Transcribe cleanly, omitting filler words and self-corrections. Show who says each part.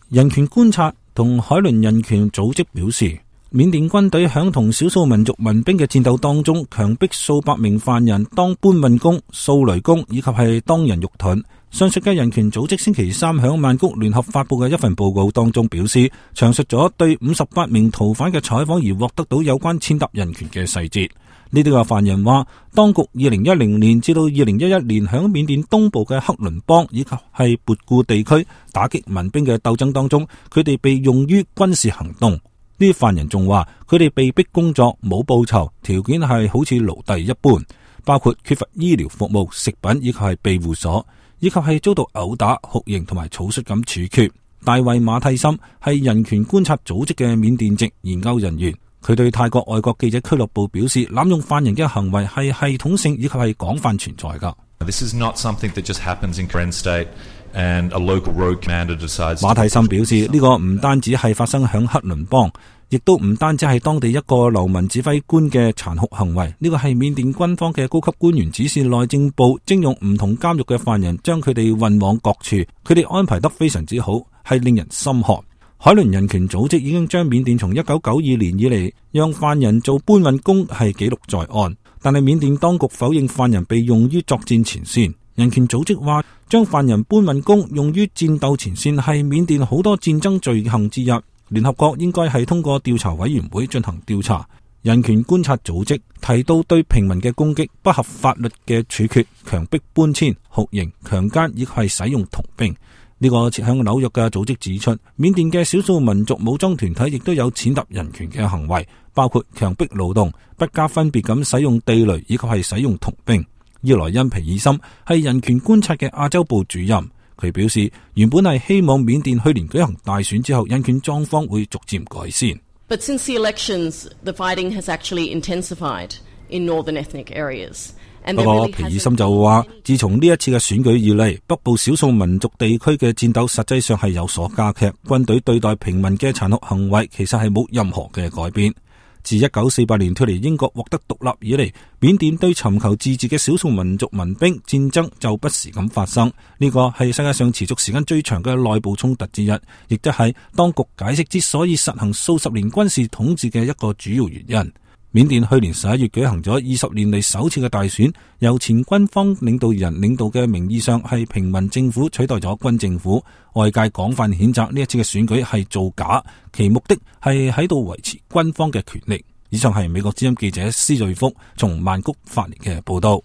Speaker 1: 人權觀察同海倫人權組織表示，緬甸軍隊響同少數民族民兵嘅戰鬥當中，強迫數百名犯人當搬運工、掃雷工以及係當人肉盾。上述嘅人權組織星期三響曼谷聯合發佈嘅一份報告當中表示，詳述咗對58名逃犯嘅採訪而獲得到有關踐踏人權嘅細節。呢啲個犯人話，當局2010年至到2011年響緬甸東部嘅克倫邦以及係勃固地區打擊民兵嘅鬥爭當中，佢哋被用於軍事行動。呢啲犯人仲話，佢哋被逼工作，冇報酬，條件係好似奴隸一般，包括缺乏醫療服務、食品以及係庇護所，以及係遭到毆打、酷刑同埋草率咁處決。大衛馬蒂森係人權觀察組織嘅緬甸籍研究人員，佢對泰國外國記者俱樂部表示，濫用犯人嘅行為係系統性以及係廣泛存在㗎。馬蒂森表示，呢個唔單止係發生響克倫邦，亦都唔單止係當地一個流民指揮官嘅殘酷行為，呢個係緬甸軍方嘅高級官員指示內政部徵用唔同監獄嘅犯人，將佢哋運往各處，佢哋安排得非常之好，係令人心寒。海倫人權組織已經將緬甸從1992年以嚟讓犯人做搬運工係記錄在案，但係緬甸當局否認犯人被用於作戰前線。人權組織話，將犯人搬運工用於戰鬥前線係緬甸好多戰爭罪行之一，聯合國應該係通過調查委員會進行調查。人權觀察組織提到對平民嘅攻擊、不合法律嘅處決、強迫搬遷、酷刑、強姦以及係使用童兵。呢個設響紐約嘅組織指出，緬甸嘅少數民族武裝團體亦都有踐踏人權嘅行為，包括強迫勞動、不加分別咁使用地雷以及係使用童兵。伊萊恩皮爾森係人權觀察嘅亞洲部主任，佢表示原本係希望緬甸去年舉行大選之後，人權狀況會逐漸改善。
Speaker 2: But since the elections, the fighting has actually intensified in northern ethnic areas.
Speaker 1: 不過皮爾森就話，自從呢一次嘅選舉以嚟，北部少數民族地區嘅戰鬥實際上係有所加劇，軍隊對待平民嘅殘酷行為其實係冇任何嘅改變。自1948年脫離英國獲得獨立以嚟，緬甸對尋求自治嘅少數民族民兵戰爭就不時咁發生，呢個係世界上持續時間最長嘅內部衝突之一，亦即係當局解釋之所以實行數十年軍事統治嘅一個主要原因。緬甸去年11月舉行咗20年嚟首次嘅大選，由前軍方領導人領導嘅名義上係平民政府取代咗軍政府，外界廣泛譴責呢一次嘅選舉係造假，其目的係喺度維持軍方嘅權力。以上係美國之音記者施瑞福從曼谷發嚟嘅報道。